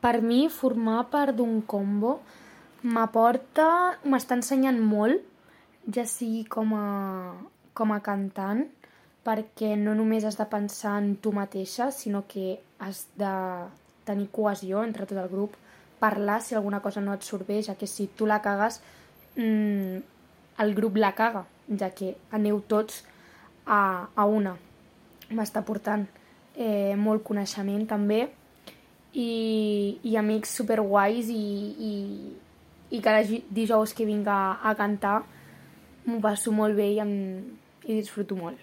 Per mi, formar part d'un combo m'està ensenyant molt, ja sigui com a cantant, perquè no només has de pensar en tu mateixa, sinó que has de tenir cohesió entre tot el grup, parlar si alguna cosa no et surt bé, ja que si tu la cagues, el grup la caga, ja que aneu tots a una. M'està portant molt coneixement també i amics superguais i cada dijous que vinc a cantar m'ho passo molt bé i disfruto molt.